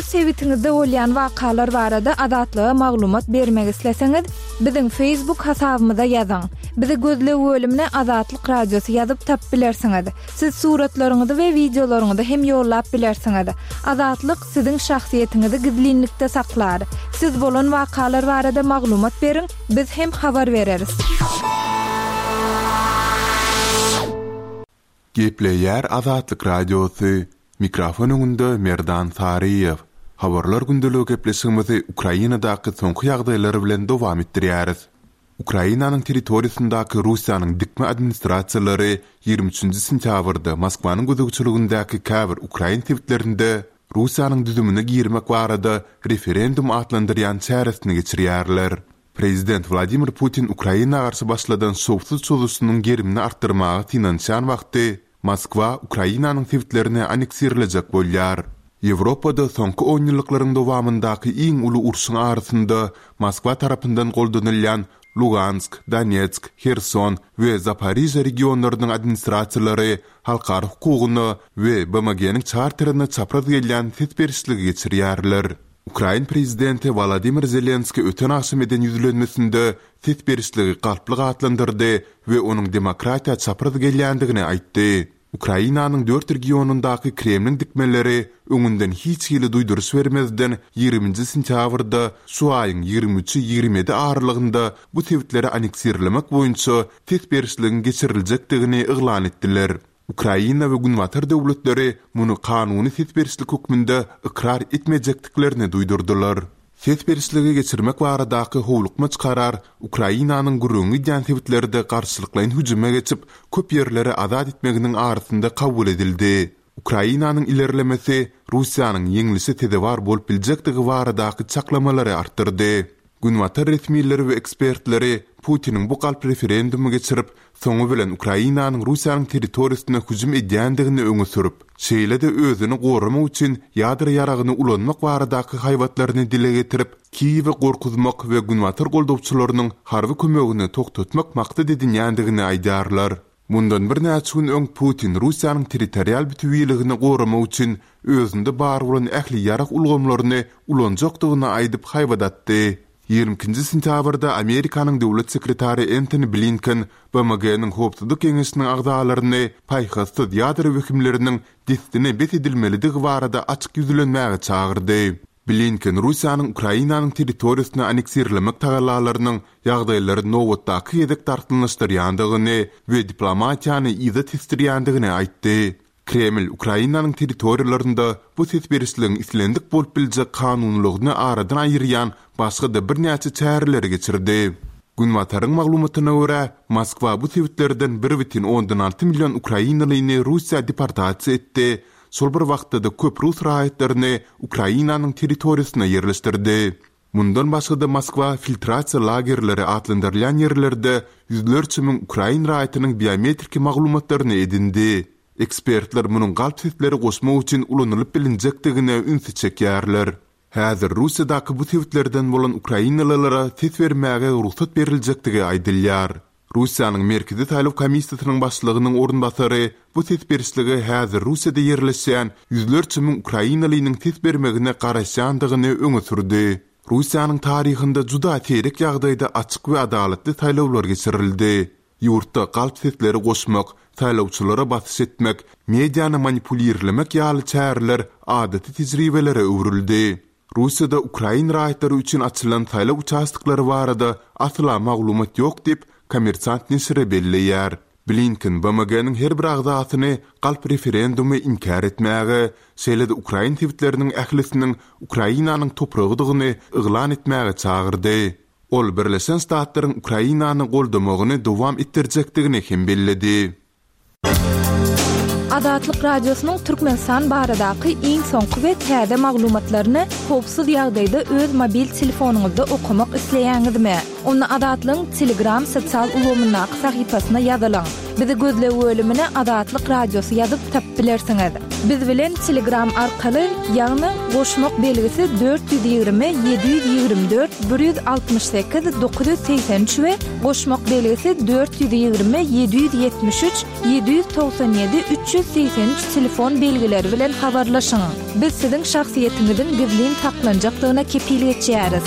sebitiňizde bolýan wakalar barada Azatlyga maglumat bermek isleseňiz, biziň Facebook hasabymyza ýazyň. Bizi gözleg bölümine Azatlyk Radiosy ýazyp tapyp bilersiňiz. Siz suratlaryňyzy we wideolaryňyzy hem ýollap bilersiňiz. Azatlyk siziň şahsyýetiňizi gizlinlikde saklar. Siz bolan wakalar barada maglumat beriň, biz hem habar bereris. Gepleýär Azatlyk Radiosy, Mikrofon öňünde Merdan Saryýew. Habarlar gündeligi gepleşigimizi Ukrainadaky soňky ýagdaýlar bilen dowam etdirýäris. Ukrainanyň territoriýasyndaky Russiýanyň dikme administrasiýalary 23-nji sentýabrda Moskwanyň gözegçiligindäki käbir ukrain sebitlerinde Russiýanyň düzümine girmek barada referendum atlandyrýan çäresini geçirýärler. Prezident Wladimir Putin Ukraina garşy başladan şowsuz çozuşynyň gerimini artdyrmaga synanyşýan wagty, Moskwa Ukrainanyň sebitlerini anneksirlejek bolýar. Ýewropada soňky onýyllyklaryň dowamyndaky iň uly urşuň arasynda Moskwa tarapyndan goldanylýan Lugansk, Donetsk, Herson we Zaporižýa regionlarynyň administrasiýalary halkara hukugyna we BMG-niň Çarterine çapraz gelýän ses berişligi geçirýärler. Ukrain prezidenti Wolodymyr Zelenskiý öten agşam eden ýüzlenmesinde ses berişligi galplyk atlandyrdy we onuň demokratiýa çapraz gelýändigini aýtdy. Ukrainanyň dört regionyndaky Kremliň dikmeleri öňünden hiç hili duýduryş bermezden ýigriminji sentýabrda şu aýyň 23-i 27 aralygynda bu sebitleri anneksirlemek boýunça ses berişligiň geçiriljekdigini yglan etdiler. Ukraina we Günbatar döwletleri muny kanuny ses berişlik hökmünde ykrar etmejekdiklerini duýdurdylar. Ses berişligi geçirmek baradaky howlukmaç karar Ukrainanyň gürrüňi gidýän sebitlerde garşylyklaýyn hüjüme geçip, köp ýerleri azat etmeginiň arasynda kabul edildi. Ukrainanyň ilerlemesi Russiýanyň ýeňlişe sezewar bolup biljekdigi baradaky çaklamalary artdyrdy. Günbatar resmileri we ekspertleri Putiniň bu galp referendumy geçirip, soňy bilen Ukrainanyň Russiýanyň territoriýasyna hüjüm edýändigini öňe sürüp, şeýle-de özüni goramak üçin ýadro ýaragyny ulanmak baradaky haýbatlaryny dile getirip, Kiýewi gorkuzmak we günbatar goldawçylarynyň harby kömegini togtatmak maksat edinýändigini aýdýarlar. Mundan birnäçe gün öň Putin Russiýanyň territorial bütewiligini goramak üçin özünde bar bolan ähli ýarag ulgamlaryny ulanjakdygyny aýdyp haýbat atdy. 22-nji sentýabrda Amerikanyň döwlet sekretary Entoni Blinken BMG-niň Howpsuzlyk Geňeşiniň agzalaryny paýhassyz ýadro wehimleriniň dessine bes edilmelidigi barada açyk ýüzlenmäge çagyrdy. Blinken Russiýanyň Ukrainanyň territoriýasyny anneksirlemek tagallalarynyň ýagdaýlary nobatdaky gezek dartgynlaşdyrýandygyny we diplomatiýany yza tesdirýändigini aýtdy. Kreml Ukrainanyň territoriýalarynda bu ses berişligiň islendik bolup biljek kanunylygyny aradan aýyrýan başga-da birnäçe çäreleri geçirdi. Günbataryň maglumatyna görä, Moskwa bu sebitlerden bir bütin ondan alty million ukrainalyny Russiýa deportasiýa etdi, Şol bir wagtda-da köp rus raýatlaryny Ukrainanyň territoriýasyna ýerleşdirdi. Mundan başga-da Moskwa filtrasiýa lagerleri atlandyrylýan ýerlerde ýüzlerçe müň ukrain raýatynyň biometriki maglumatlaryny edindi. Ekspertler munuň galp sesleri goşmak üçin ulanylyp bilinjekdigine ünsi çekýärler. Häzir Russiýadaky bu sebitlerden bolan ukrainalylara ses bermäge rugsat beriljekdigi aýdylýar. Russiýanyň Merkezi saýlaw komissiýasynyň başlygynyň orunbasary bu ses berişlige häzir Russiýada ýerleşýän ýüzlerçe müň ukrainalynyň ses bermegine garaşýandygyny öňe sürdi. Russiýanyň taryhynda juda seýrek ýagdaýda açyk we adalatly saýlawlar geçirildi. Ýurtda galp sesleri goşmak, saýlawçylara basyş etmek, mediany manipulirlemek ýaly çäreler adaty tejribelere öwrüldi. Russiýada ukrain raýatlary üçin açylan saýlaw uçastoklary barada asla maglumat ýok diýip, Kommersant neşiri belleýär. Blinken BMG-niň her bir agzasyny galp referendumy inkär etmäge, şeýle-de ukrain sebitleriniň ählisiniň Ukrainanyň topragydygyny yglan etmäge çagyrdy. Ol Birleşen Ştatlaryň Ukrainany goldamagyny dowam etdirjekdigini hem belledi. Azatlyk Radiosynyň Türkmenistan baradaky iň soňky we täze maglumatlaryny howpsuz ýagdaýda öz mobil telefonyňyzda okamak isleýäňizmi? Onda Azatlygyň Telegram sosial ulgamyndaky sahypasyna ýazylyň. Bizi gözleg bölümine Azatlyk Radiosy ýazyp tapyp bilersiňiz. Biz bilen Telegram arkaly, ýagny goşmak belgisi 420 724 168 983 we goşmak belgisi 420 773 797 383 telefon belgileri bilen habarlaşyň. Biz siziň şahsyýetiňiziň gizlin saklanjakdygyna kepil geçýäris.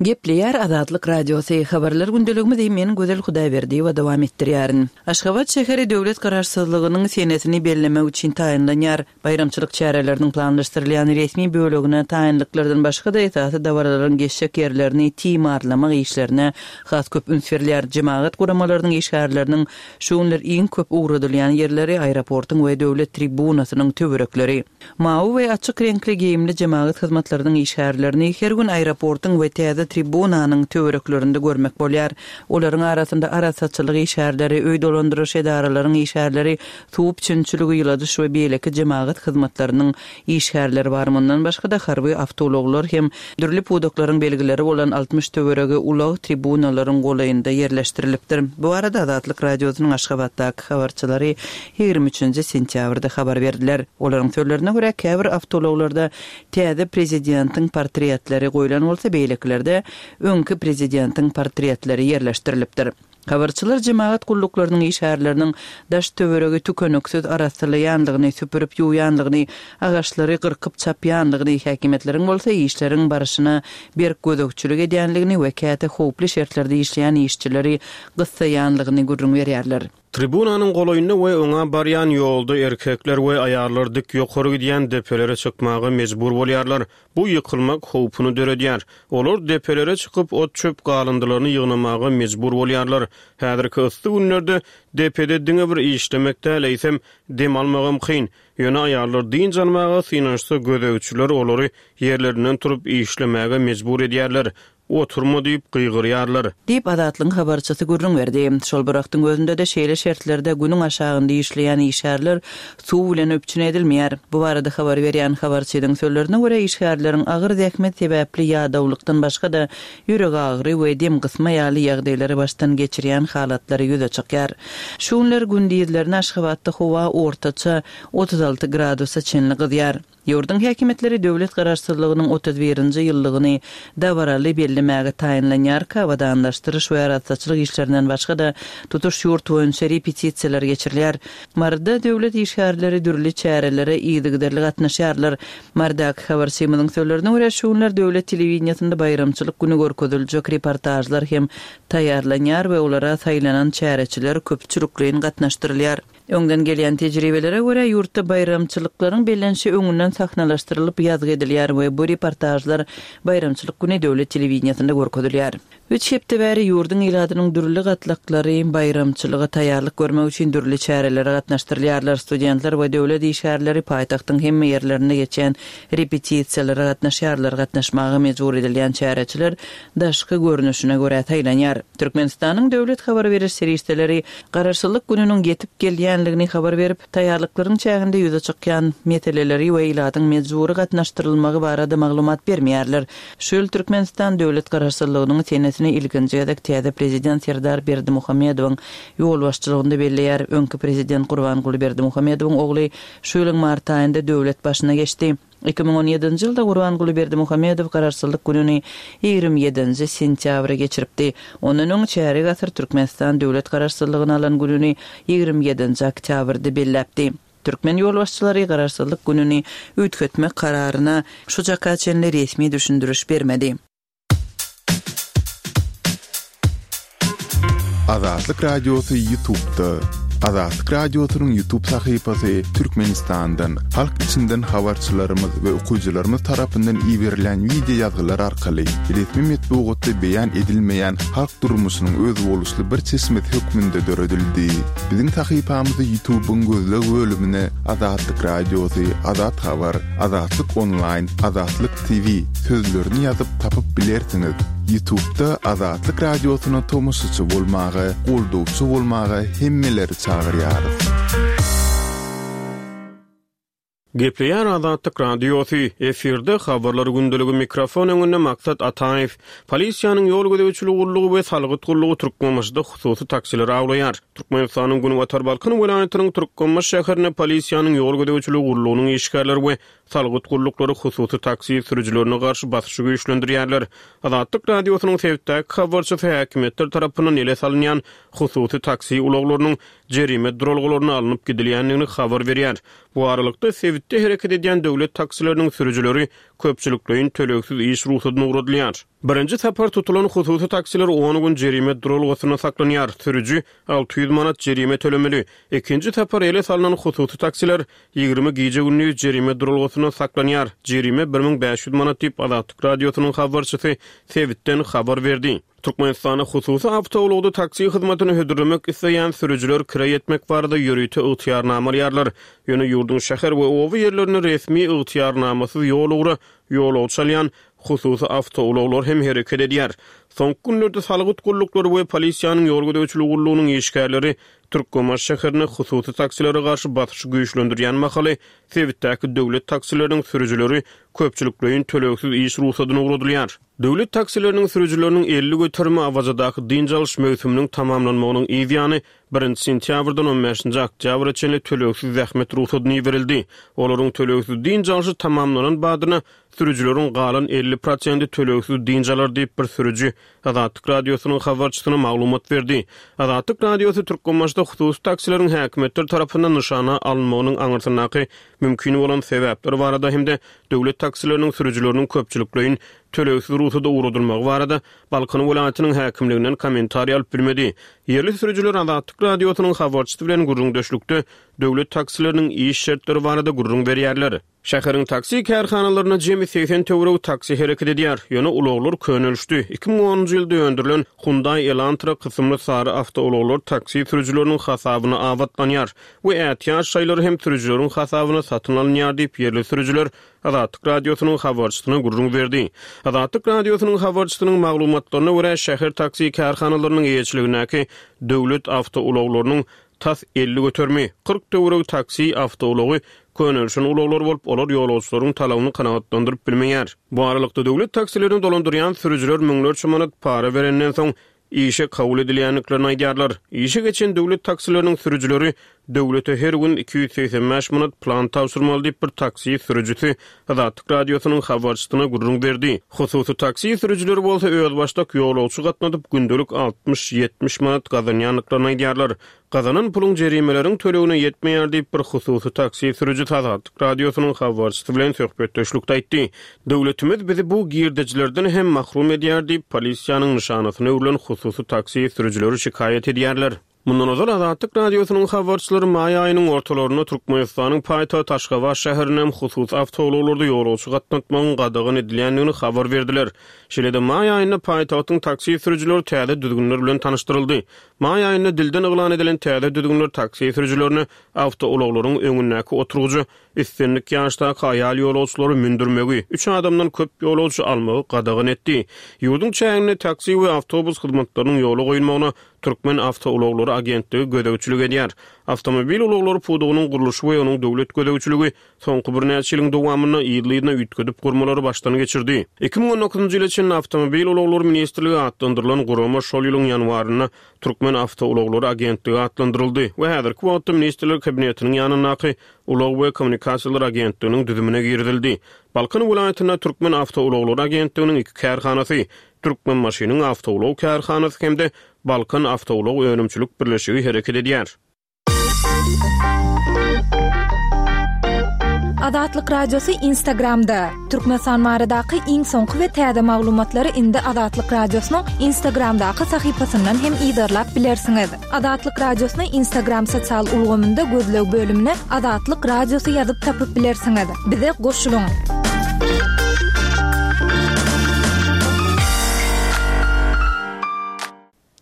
Gepleýär Azatlyk Radiosy, Habarlar gündeligimizi men Gözel Hudaýberdiýewa dowam etdirýärin. Aşgabat şäheri döwlet Garaşsyzlygynyň senesini bellemek üçin taýynlanýar. Baýramçylyk çäreleriniň planlaşdyrylýan resmi bölegine taýynlyklardan başga-da esasy dabaralaryň geçjek ýerlerini timarlamak işlerine has köp üns berilýär. Jemagat guramalarynyň işgärleriniň şu günler iň köp ugradylýan ýerleri aeroportuň we döwlet tribunasynyň töwerekleri. Mawy we açyk reňkli geýimli jemagat hyzmatlarynyň işgärlerini her gün aeroportuň we täze tribunanyň töwereklerinde görmek bolýar. Olaryň arasynda arassaçylyk işgärleri, öý dolandyryş edaralaryň işgärleri, suw üpjünçiligi, ýyladyş we beýleki jemagat hyzmatlarynyň işgärleri bar. Mundan başga-da, harby awtoulaglar hem dürli pudaklaryň belgileri bolan 60 töweregi ulag tribunalaryň golaýynda ýerleşdirilipdir. Bu barada Azatlyk Radiosynyň Aşgabatdaky habarçylary 23 sentýabrda habar berdiler. Olaryň sözlerine görä, käbir awtoulaglarda täze prezidentiň portretleri goýlan bolsa, beýlekilerde öňki prezidentiň portretleri ýerleşdirilipdir. Habarçylar jemagat gulluklarynyň işgärleriniň daş-töweregi tükeniksiz arassalaýandygyny, süpürip ýuwýandygyny, agaçlary gyrkyp çapýandygyny, häkimiýetleriň bolsa işleriň barşyna berk gözegçilik edýändigini we käte howply şertlerde işleýän işçileri gyssaýandygyny gürrüň berýärler. Tribunanyň golaýynda we oňa barýan ýolda erkekler we aýallar dik ýokary gidýän depelere çykmaga mejbur bolýarlar. Bu ýykylmak howpuny döredýär. Olar depelere çykyp, ot-çöp galyndylaryny ýygnamaga mejbur bolýarlar. Häzirki yssy günlerde depede diňe bir işlemek däl, eýsem, dem almagam kyn. Ýöne aýallar dynç almaga synanyşsa, gözegçiler olary ýerlerinden turup işlemäge mejbur edýärler. Oturma diýip gygyrýarlar. Diýip, Azatlygyň habarçysy gürrüň berdi. Şol bir wagtyň özünde-de şeýle şertlerde günüň aşagynda işleýän işgärler suw bilen üpjün edilmeýär. Bu barada habar berýän habarçynyň sözlerine görä, işgärleriň agyr zähmet sebäpli ýadawlykdan başga-da ýüregagyry we dem gysma ýaly ýagdaýlary başdan geçirýän halatlary ýüze çykýar. Şu günler gündizlerine Aşgabatda howa ortaça 36 gradusa çenli gyzýar. Ýurduň häkimiýetleri döwlet Garaşsyzlygynyň 31-nji ýyllygyny dabaraly bellemäge taýynlanýarka, abadanlaşdyryş we arassaçylyk işlerinden başga-da, tutuş ýurt boýunça repetisiýalar geçirilýär. Maryda döwlet işgärleri dürli çärelere yzygiderli gatnaşýarlar. Marydaky habarçymyzyň sözlerine görä, şu günler döwlet telewideniýesinde baýramçylyk güni görkeziljek reportažlar hem taýýarlanýar we olara saýlanan çäreçiler köpçülikleýin gatnaşdyrylýar. Öňden gelýän tejribelere görä, ýurtda baýramçylyklaryň bellenişi öňünden sahnalaşdyrylyp ýazgy edilýär we bu reportažlar baýramçylyk güni döwlet telewideniýesinde görkezilýär. Üç hepde bäri ýurduň ilatynyň dürli gatlaklary baýramçylyga taýýarlyk görmek üçin dürli çärelere gatnaşdyrylýarlar. Studentler we döwlet işgärleri paýtagtyň hemme ýerlerinde geçýän repetisiýalara gatnaşýarlar. Gatnaşmaga mejbur edilýän çäreçiler daşky görnüşine görä saýlanýar. Türkmenistanyň döwlet habar beriş serişdeleri Garaşsyzlyk gününiň ýetip gelýänligini habar berip, taýýarlyklaryň çäginde ýüze çykýan meseleleri we ilatyň mejbury gatnaşdyrylmagy barada maglumat bermeýärler. Şu ýyl Türkmenistan döwlet Garaşsyzlygynyň senesini ilkinji gezek täze Prezident Serdar Berdimuhamedowyň ýolbaşçylygynda belleýär. Öňki Prezident Gurbanguly Berdimuhamedowyň ogly şu ýylyň mart aýynda döwlet başyna geçdi. 2017-nji ýylda Gurbanguly Berdimuhamedow Garaşsyzlyk gününi 27-nji sentýabra geçiripdi. Ondan öň çärýek asyr Türkmenistan döwlet Garaşsyzlygyny alan gününi 27-nji oktýabrda belläpdi. Türkmen ýolbaşçylary Garaşsyzlyk gününi üýtgetmek kararyna şu çaka çenli resmi düşündiriş bermedi. Azatlyk Radiosy Ýutubda. Azatlyk Radiosynyň Ýutub sahypasy Türkmenistandan, halk içinden habarçylarymyz we okyjylarymyz tarapyndan iberilen wideo ýazgylar arkaly resmi metbugatda beýan edilmeýän halk durmuşynyň özboluşly bir çeşmesi hökmünde döredildi. Biziň sahypamyzy Ýutubyň gözleg bölümine Azatlyk Radiosy, Azat Habar, Azatlyk Onlaýn, Azatlyk TV sözlerini ýazyp tapyp bilersiňiz. Ýutubda Azatlyk Radiosyna tomaşaçy bolmaga, goldawçy bolmaga hemmeleri çagyrýarys. Gepleýär Azatlyk Radiosy, efirde Habarlar gündeligi mikrofon öňünde Maksat Ataýew. Polisiýanyň ýol gözegçiligi gullugy we salgyt gullugy Türkmenbaşyda hususy taksileri awlaýar. Türkmenistanyň Günbatar Balkan welaýatynyň Türkmenbaşy şäherinde polisiýanyň ýol gözegçiligi gullugynyň işgärleri we salgyt gulluklary hususy taksi sürüjilerine garşy basyşy güýçlendirýärler. Azatlyk Radiosynyň sebitdäki habarçysy häkimiýetler tarapyndan ele salynýan hususy taksi ulaglarynyň jerime duralgalaryna alnyp gidilýändigini habar berýär. Bu aralykda, sebitde hereket edýän döwlet taksileriniň sürüjileri köpçülikleýin tölegsiz iş rugsadyna ugradylýar. Birinji sapar tutulan hususy taksiler on gün jerime duralgasynda saklanýar, sürüji 600 manat jerime tölemeli. Ikinji sapar ele salnan hususy taksiler 20 gije-gündiz jerime duralgasynda saklanýar, jerime 1500 manat diýip, Azatlyk Radiosynyň habarçysy sebitden habar berdi. Türkmenistanda hususy awtoulagda taksi hyzmatyny hödürlemek isleýän sürüjiler kireý etmek barada ýörite ygtyýarnama alýarlar. Ýöne ýurduň şäher we oba ýerlerinde resmi ygtyýarnamasyz ýol ugra ýolagçy alýan hususy awtoulaglar hem hereket edýär. Soňky günlerde salgyt gulluklary we polisiýanyň ýol gözegçiligi gullugynyň işgärleri Türkmenbaşy şäherinde hususy taksilere garşy basyşy güýçlendirýän mahaly, sebitdäki döwlet taksileriniň sürüjileri köpçülikleýin tölegsiz iş rugsadyna ugradylýar. Döwlet taksileriniň sürüjileriniň 50 göterimi Awazadaky dynç alyş möwsüminiň tamamlanmagynyň yz ýany, birinji sentýabrdan on bäşinji oktýabra çenli tölegsiz zähmet rugsadyna iberildi. Olaryň tölegsiz dynç alşy tamamlanan badyna, sürüjileriň galan 50 prosenti tölegsiz dynç alar diýip, bir sürüji Azatlyk Radiosynyň habarçysyna maglumat berdi. Azatlyk Radiosy Türkmenbaşyda hususy taksileriň häkimiýetler tarapyndan nyşana alynmagynyň aňyrsyndaky mümkin bolan sebäpler barada hem-de döwlet taksileriniň sürüjileriniň köpçülikleýin tölegsiz rugsada ugradylmagy barada Balkan welaýatynyň häkimliginden kommentariý alyp bilmedi. Ýerli sürüjiler Azatlyk Radiosynyň habarçysy bilen gürrüňdeşlikde döwlet taksileriniň iş şertleri barada gürrüň berýärler. Şäheriň taksi kärhanalarynda jemi 80 töweregi taksi hereket edýär. Ýöne ulaglar könelişdi. 2010-njy ýylda öndürilen Hyundai Elantra kysymly sary awtoulaglar taksi sürüjileriniň hasabyna abatlanýar we ätiýaç şaýlary hem sürüjileriň hasabyna satyn alynýar diýip, ýerli sürüjiler Azatlyk Radiosynyň habarçysyna gürrüň berdi. Azatlyk Radiosynyň habarçysynyň maglumatlaryna görä, şäher taksi kärhanalarynyň eýeçiligindäki döwlet awtoulaglarynyň tas 50 göterimi, 40 töweregi taksi awtoulagy könelişen ulaglar bolup, olar ýolagçylaryň talabyny kanagatlandyryp bilmeýär. Bu aralykda, döwlet taksilerini dolandyrýan sürüjiler müňlerçe manat para berenden soň, işe kabul edilýändiklerini aýdýarlar. Işe geçen döwlet taksileriniň sürüjileri döwlete her gün 285 manat plan tabşyrmaly diýip, bir taksi sürüjisi Azatlyk Radiosynyň habarçysyna gürrüň berdi. Hususy taksi sürüjileri bolsa özbaşdak ýolagçy gatnadyp, gündelik altmyş-ýetmiş manat gazanýandyklaryny aýdýarlar. Gazanan puluň jerimeleriň tölegine ýetmeýär diýip, bir hususy taksi sürüjisi Azatlyk Radiosynyň habarçysy bilen söhbetdeşlikde aýtdy. Döwletimiz bizi bu girdejilerden hem mahrum edýär diýip, polisiýanyň nyşanasyna öwrülen hususy taksi sürüjileri şikaýat edýärler. Mundan ozal Azatlyk Radiosynyň habarçylary maý aýynyň ortalarynda Türkmenistanyň paýtagty Aşgabat şäherinde hem hususy awtoulaglarda ýolagçy gatnatmagyň gadagan edilýändigini habar berdiler. Şeýle-de maý aýynda paýtagtyň taksi sürüjileri täze düzgünler bilen tanyşdyryldy. Maý aýynda dilden yglan edilen täze düzgünler taksi sürüjilerine awtoulaglaryň öňündäki oturgyja islendik ýaşdaky aýal ýolagçylary mündürmegi, üç adamdan köp ýolagçy almagy gadagan etdi. Ýurduň çäginde taksi we awtobus hyzmatlarynyň ýola goýulmagyna Türkmen awtoulaglary agentligi gözegçilik edýär. Awtomobil ulaglary pudagynyň gurluşy we onuň döwlet gözegçiligi soňky birnäçe ýylyň dowamynda yzly-yzyna üýtgedip gurmalary başdan geçirdi. 2019-njy ýyla çenli Awtomobil ulaglary ministrligi atlandyrylan gurama şol ýylyň ýanwarynda Türkmen awtoulaglary agentligi atlandyryldy we häzirki wagtda Ministrler Kabinetiniň ýanyndaky Ulag we kommunikasiýalar agentliginiň düzümine girizildi. Balkan welaýatynda Türkmen awtoulaglary agentliginiň iki kärhanasy, Türkmenbaşynyň awtoulag kärhanasy hem-de Balkan awtoulag önümçilik birleşigi hereket edýär. Azatlyk Radiosy Instagramda, Türkmenistan baradaky iň soňky we täze maglumatlary indi Azatlyk Radiosynyň Instagramdaky sahypasyndan hem yzarlap bilersiňiz. Azatlyk Radiosyny Instagram sosial ulgamynda gözleg bölümine Azatlyk Radiosy ýazyp tapyp bilersiňiz. Bize goşulyň!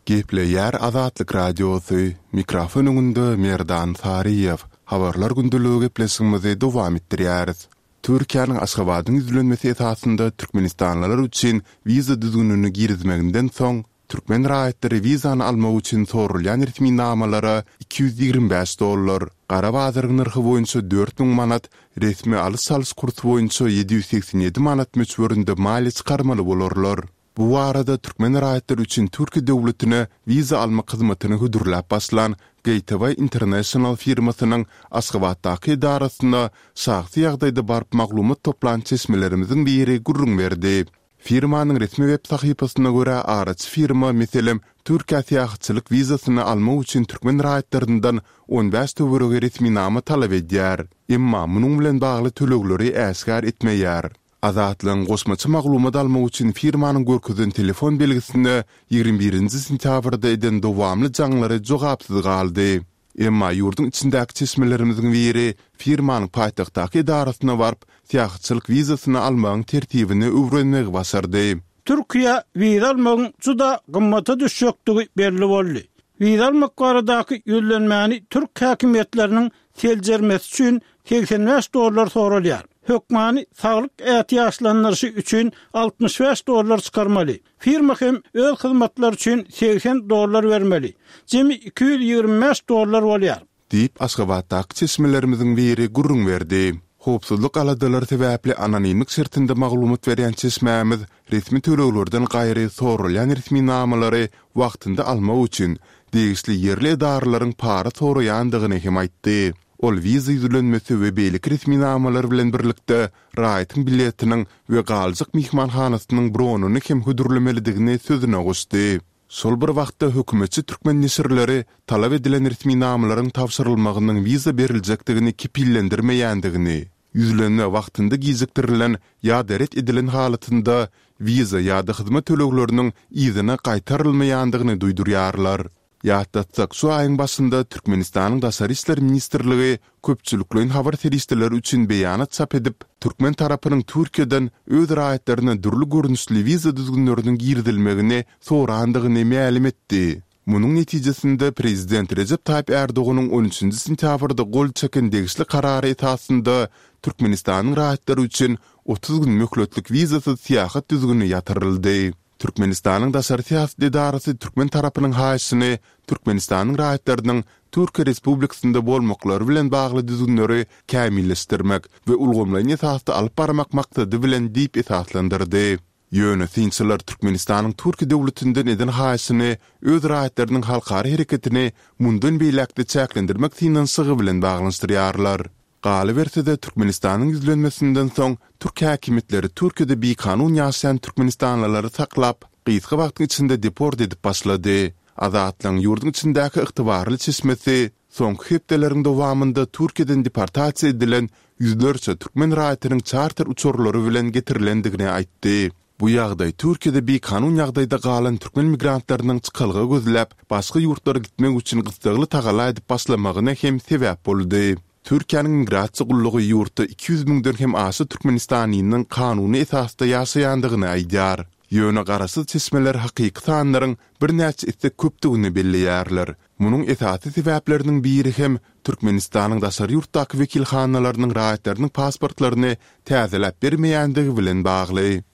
Gepleýär Azatlyk Radiosy, mikrofon öňünde Merdan Saryýew. Habarlar gündeligi gepleşigimizi dowam etdirýäris. Türkiýäniň Aşgabadyň ýüzlenmesi esasynda türkmenistanlylar üçin wiza düzgünini girizmeginden soň, Türkmen raýatlary wizany almak üçin soralýan resminamalara 225 dollar, gara bazaryň nyrhy boýunça 4000 manat, resmi alyş-çalyş kursy boýunça 787 manat möçberinde maliýe çykarmaly bolarlar. Bu barada türkmen raýatlary üçin Türkiýe döwletine wiza almak hyzmatyny hödürläp başlan Gateway International firmasynyň Aşgabatdaky edarasyna şahsy ýagdaýda baryp maglumat toplan çeşmelerimiziň biri gürrüň berdi. Firmanyň resmi web sahypasyna görä, araçy firma, meselem, Türkiýä syýahatçylyk wizasyny almak üçin türkmen raýatlaryndan 15 töweregi resminama talap edýär. Emma munuň bilen bagly tölegleri äşgär etmeýär. Azatlygyň goşmaça maglumat almak üçin firmanyň görkezen telefon belgisine 21 nji sentýabrda eden dowamly jaňlary jogapsyz galdy. Emma ýurduň içindäki çeşmelerimiziň biri firmanyň paýtagtdaky edarasyna baryp, syýahatçylyk wizasyny almagyň tertibini öwrenmegi başardy. Türkiýä wiza almagyň juda gymmata düşjekdigi belli boldy. Wiza almak baradaky ýüzlenmäni türk häkimiýetleriniň seljermesi üçin 85 dollar soralýar. Hökmany saglyk ätiýaçlandyryşy üçin 65 dollar çykarmaly. Firma hem öz hyzmatlary üçin 80 dollar bermeli. Jemi 225 dollar bolýar. Diýip, Aşgabatdaky çeşmelerimiziň biri gürrüň berdi. Howpsuzlyk aladalary sebäpli anonimlik şertinde maglumat berýän çeşmämiz resmi töleglerden gaýry soralýan resminamalary wagtynda almak üçin degişli ýerli edaralaryň para soraýandygyny hem aýtdy. Ol wiza ýüzlenmesi we beýleki resminamalar bilen birlikde raýatyň biletiniň we galjak myhmanhanasynyň bronyny hem hödürlemelidigini sözüne goşdy. Şol bir wagtda hökümetçi türkmen neşirleri talap edilen resminamalaryň tabşyrylmagynyň wiza beriljekdigini kepillendirmeýändigini, ýüzlenme wagtynda gijikdirilen ýa-da ret edilen halatynda wiza ýa-da hyzmat tölegleriniň yzyna gaýtarylmaýandygyny duýdurýarlar. Ýatlatsak, şu aýyň başynda Türkmenistanyň Daşary işler ministrligi köpçülikleýin habar serişdeleri üçin beýanat çap edip, türkmen tarapynyň Türkiýeden öz raýatlaryna dürli görnüşli wiza düzgünleriniň girizilmegini sorandygyny mälim etdi. Munuň netijesinde, prezident Rejep Taýyp Ärdoganyň on üçünji sentýabrda gol çeken degişli karary esasynda Türkmenistanyň raýatlary üçin 30 gün möhletlik wizasyz syýahat düzgüni ýatyryldy. Türkmenistanyň daşary syýasat edarasy türkmen tarapynyň haýyşyny Türkmenistanyň raýatlarynyň Türkiýe Respublikasynda bolmaklary bilen bagly düzgünleri kämilleşdirmek we ulgamlaýyn esasda alyp barmak maksady bilen diýip esaslandyrdy. Ýöne synçylar Türkmenistanyň Türkiýe döwletinden eden haýyşyny öz raýatlarynyň halkara hereketini mundan beýläk-de çäklendirmek synanyşygy bilen baglanyşdyrýarlar. Galyberse-de, Türkmenistanyň ýüzlenmesinden soň, türk häkimiýetleri Türkiýede bikanun ýaşaýan türkmenistanlylary saklap, gysga wagtyň içinde deport edip başlady. Azatlygyň ýurduň içindäki ygtybarly çeşmesi soňky hepdeleriň dowamynda Türkiýeden deportasiýa edilen ýüzlerçe türkmen raýatynyň çarter uçarlary bilen getirilendigini aýtdy. Bu ýagdaý Türkiýede bikanun ýagdaýda galan türkmen migrantlarynyň çykalga gözläp, başga ýurtlara gitmek üçin gyssagly tagalla edip başlamagyna hem sebäp boldy. Türkiýäniň Migrasiýa gullugy ýurtda 200 müňden hem aşa türkmenistanlynyň kanuny esasda ýaşaýandygyny aýdýar. Ýöne garaşsyz çeşmeler hakyky sanlaryň birnäçe esse köpdügini belleýärler. Munuň esasy sebäpleriniň biri hem Türkmenistanyň daşary ýurtdaky wekilhanalarynyň raýatlarynyň pasportlaryny täzeläp bermeýändigi bilen bagly.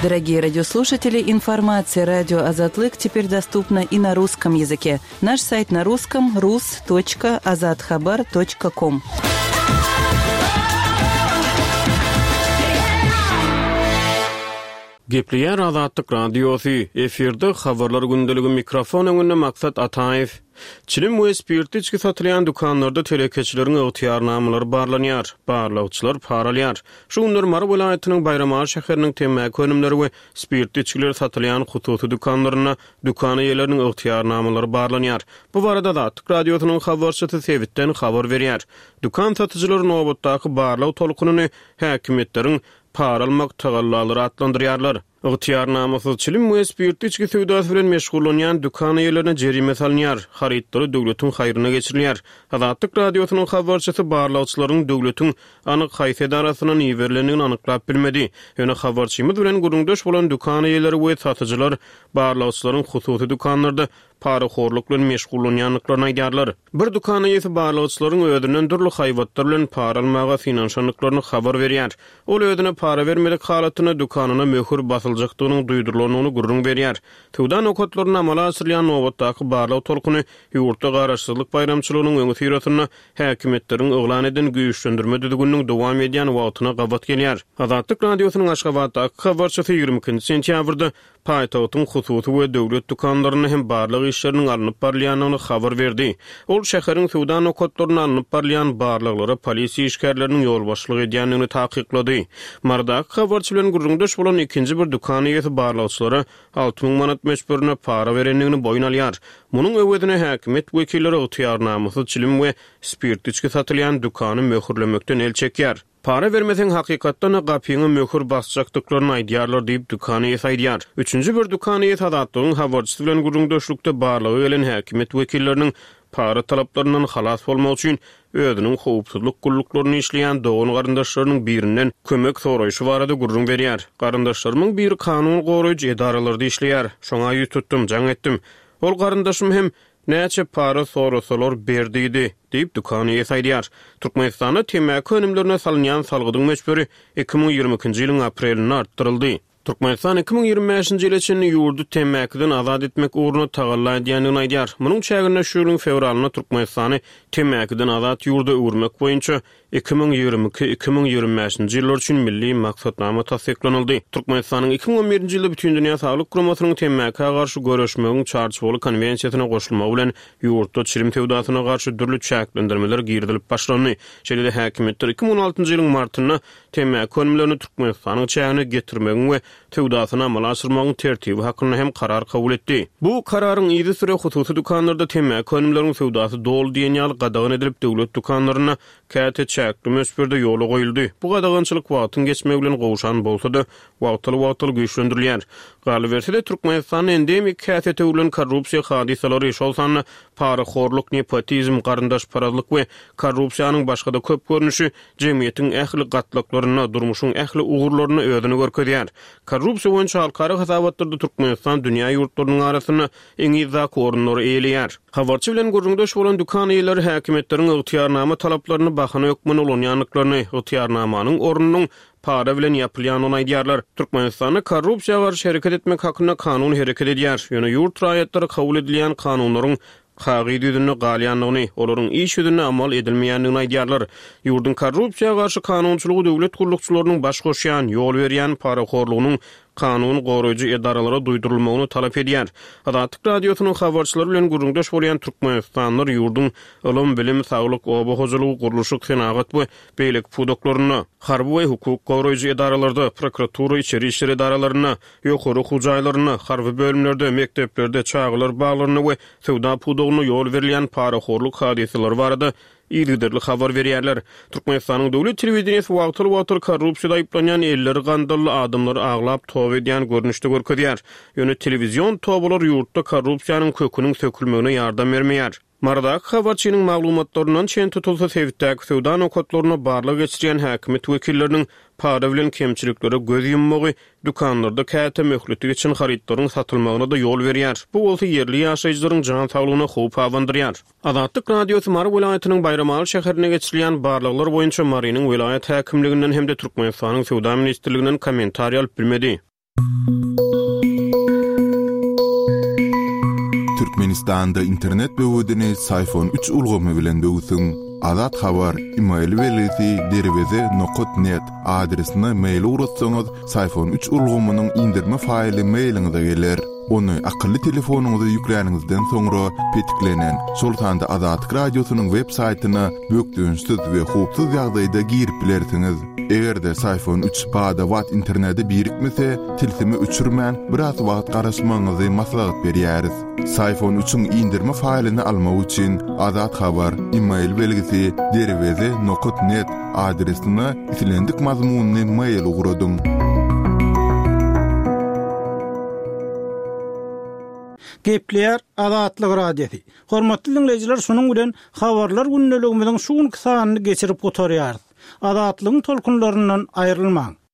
Дорогие радиослушатели, информация радио Азатлык теперь доступна и на русском языке. Наш сайт на русском rus.azathabar.com. Gepleýär Azatlyk Radiosy, efirde Habarlar gündeligi mikrofon öňünde Maksat Ataýew. Çilim we spirtli içgi satylýan dükanlarda telekeçileriň ygtyýarnamalary barlanýar, barlagçylar para alýar. Şu günler Mary welaýatynyň Baýramaly şäheriniň temmäki önümleri we spirtli içgiler satylýan hususy dükanlarynda dükan eýeleriniň ygtyýarnamalary barlanýar. Bu barada Azatlyk Radiosynyň habarçysy sebitden habar berýär. Dükan satyjylary nobatdaky barlag tolkunyny häkimiýetleriň para almak tagallalary atlandyrýarlar. Ygtyýarnamasyz çilim we spirtli içgi söwdasy bilen meşgullanýan dükan eýelerine jerime salynýar, harytlary döwletiň haýryna geçirilýär. Azatlyk Radiosynyň habarçysy barlagçylaryň döwletiň anyk haýsy edarasyndan iberilendigini anyklap bilmedi. Ýöne habarçymyz bilen gürrüňdeş bolan dükan eýeleri we satyjylar barlagçylaryň hususy dükanlarda parahorluk bilen meşgullanýandyklaryny aýdýarlar. Bir dükan eýesi barlagçylaryň özünden dürli haýbatlar bilen para almaga synanyşandyklaryny habar berýär. Ol özüne para bermedik halatynda dükanyna möhür basyljakdygynyň duýdurylandygyny gürrüň berýär. Söwda nokatlarynda amala aşyrylýan nobatdaky barlag tolkuny ýurtda Garaşsyzlyk baýramçylygynyň öňüsyrasynda häkimiýetleriň yglan eden güýçlendirme düzgüniniň dowam edýän wagtyna gabat gelýär. Azatlyk Radiosynyň Aşgabatdaky habarçysy 22 sentýabrda paýtagtyň hususy we döwlet dükanlarynda hem barlag işleriniň alnyp barylýandygyny habar berdi. Ol şäheriň söwda nokatlarynda alnyp barylýan barlaglara polisiýa işgärleriniň ýolbaşçylyk edýändigini takyklady. Marydaky habarçy bilen gürrüňdeş bolan ikinji bir dükan eýesi barlagçylara 6000 manat möçberinde para berendigini boýun alýar. Munuň öwezine häkimiýet wekilleri ygtyýarnamasyz çilim we spirtli içgi satylýan dükany möhürlemekden el çekýär. Para bermeseň hakykatdan-da gapyňa möhür basjakdyklaryny aýdýarlar diýip, dükan eýesi aýdýar. Üçünji bir dükan eýesi Azatlygyň habarçysy bilen gürrüňdeşlikde barlaga gelen häkimiýet wekilleriniň para talaplaryndan halas bolmak üçin özüniň howpsuzlyk gulluklarynda işleýän dogan-garyndaşlarynyň birinden kömek soraýşy barada gürrüň berýär. Garyndaşlarymyň biri kanun goraýjy edaralarda işleýär. Şoňa ýüz tutdum, jaň etdim. Ol garyndaşym hem Näçe para sorasalar ber diýdi, diýip, dükan eýesi aýdýar. Türkmenistanda temmäki önümlerine salynýan salgydyň möçberi 2022-nji ýylyň aprelinde artdyryldy. Türkmenistan 2025-nji ýyla çenli ýurdy temmäkiden azat etmek ugrunda tagalla edýändigini aýdýar. Munuň çäginde şu ýylyň fewralynda Türkmenistany temmäkiden azat ýurda öwürmek boýunça 2022, 2025-nji ýyllar üçin Milli maksatnama tassyklanyldy. Türkmenistanyň 2011-nji ýylda Bütindünýä Saglyk Guramasynyň temmäkä garşy göreşmegiň Çarçuwaly konwensiýasyna goşulmagy bilen ýurtda çilim söwdasyna garşy dürli çäklendirmeler girizilip başlandy. Şeýle-de häkimiýetler 2016-njy ýylyň martynda temmäki önümlerini Türkmenistanyň çägine getirmegiň we söwdasyny amala aşyrmagyň tertibi hakynda hem karar kabul etdi. Bu kararyň yzysüre hususy dükanlarda temmäki önümleriň söwdasy doly diýen ýaly gadagan edilip, döwlet dükanlarynda käte çäkli möçberde ýola goýuldy. Bu gadagançylyk wagtyň geçmegi bilen gowşan bolsa-da, wagtal-wagtal güýçlendirilýär. Galyberse-de, Türkmenistanda endemik häsiýete öwrülen korrupsiýa hadysalary, şol sanda parahorluk, nepotizm, garyndaşparazlyk we korrupsiýanyň başga-da köp görnüşi jemgyýetiň ähli gatlaklarynda, durmuşyň ähli ugurlarynda özüni görkezýär. Korrupsiýa boýunça halkara hasabatlarda Türkmenistan dünýä ýurtlarynyň arasynda iň yzdaky orunlary eýeleýär. Habarçy bilen gürrüňdeş bolan dükan eýeleri häkimiýetleriň ygtyýarnama talaplaryny bahana hökmünde ulanýandyklaryny, ygtyýarnamanyň ornunyň para bilen ýapylýandygyny aýdýarlar. Türkmenistanda korrupsiýa garşy hereket etmek hakynda kanun hereket edýär. Ýöne ýurt raýatlary kabul edilýän kanunlaryň kagyz ýüzünde galýandygyny, olaryň iş ýüzünde amal edilmeýändigini aýdýarlar. Ýurduň korrupsiýa garşy kanunçylygy döwlet gullukçylarynyň baş goşýan, ýol berýän parahorlugynyň kanun goraýjy edaralara duýdurylmagyny talap edýär. Azatlyk Radiosynyň habarçylary bilen gürrüňdeş bolýan türkmenistanlylar ýurduň ylym, bilim, saglyk, oba hojalygy, gurluşyk, senagat we beýleki pudaklarynda, harby we hukuk goraýjy edaralarda, prokuratura, içeri işler edaralarynda, ýokary okuw jaýlarynda, harby bölümlerde, mekdeplerde, çagalar baglarynda we söwda pudagynda ýol berilýän parahorluk hadysalary barada yzygiderli habar berýärler. Türkmenistanyň döwlet telewideniýesi wagtal-wagtal korrupsiýada aýyplanýan elleri gandally adamlary aglap toba edýän görnüşde görkezýär. Ýöne telewizion tobalar ýurtda korrupsiýanyň köküniň sökülmegine ýardam bermeýär. Marydaky habarçynyň maglumatlaryndan çen tutulsa, sebitdäki söwda nokatlarynda barlag geçirýän häkimiýet wekilleriniň para bilen kemçiliklere göz ýummagy dükanlarda käte möhleti geçen harytlaryň satylmagyna-da ýol berýär. Bu bolsa ýerli ýaşaýjylaryň jan saglygyna howp abandyrýar. Azatlyk Radiosy Mary welaýatynyň Baýramaly şäherinde geçirilýän barlaglar boýunça Marynyň welaýat häkimliginden hem-de Türkmenistanyň Söwda ministrliginden kommentariý alyp bilmedi. Türkmenistanda internet böwedini Syfon üç ulgamy bilen böwsüň. Azat Habar, email belgisi derweze nokat net adresine mail ugratsaňyz, Syfon üç ulgamynyň indirme faýly mailiňize geler. Ony akylly telefonyňyza ýükläniňizden soňra petiklenen, şol sanda Azatlyk Radiosynyň web saýtyna bökdençsiz we howpsuz ýagdaýda girip bilersiňiz. Eger-de Syfon üç bada-bat internete birikmese, tilsimi öçürmän, biraz wagt garaşmagyňyzy maslahat berýäris. Syfon üçiň indirme faýlyny almak üçin Azat Habar, email belgisi, derweze nokat net adresine islendik mazmunly mail ugradyň. Gepleýär Azatlyk Radiosy. Hormatly diňleýjiler şunuň bilen Habarlar gündeligimiziň şu günki sanyny geçirip gutarýarys. Azatlygyň tolkunlaryndan aýrylmaň.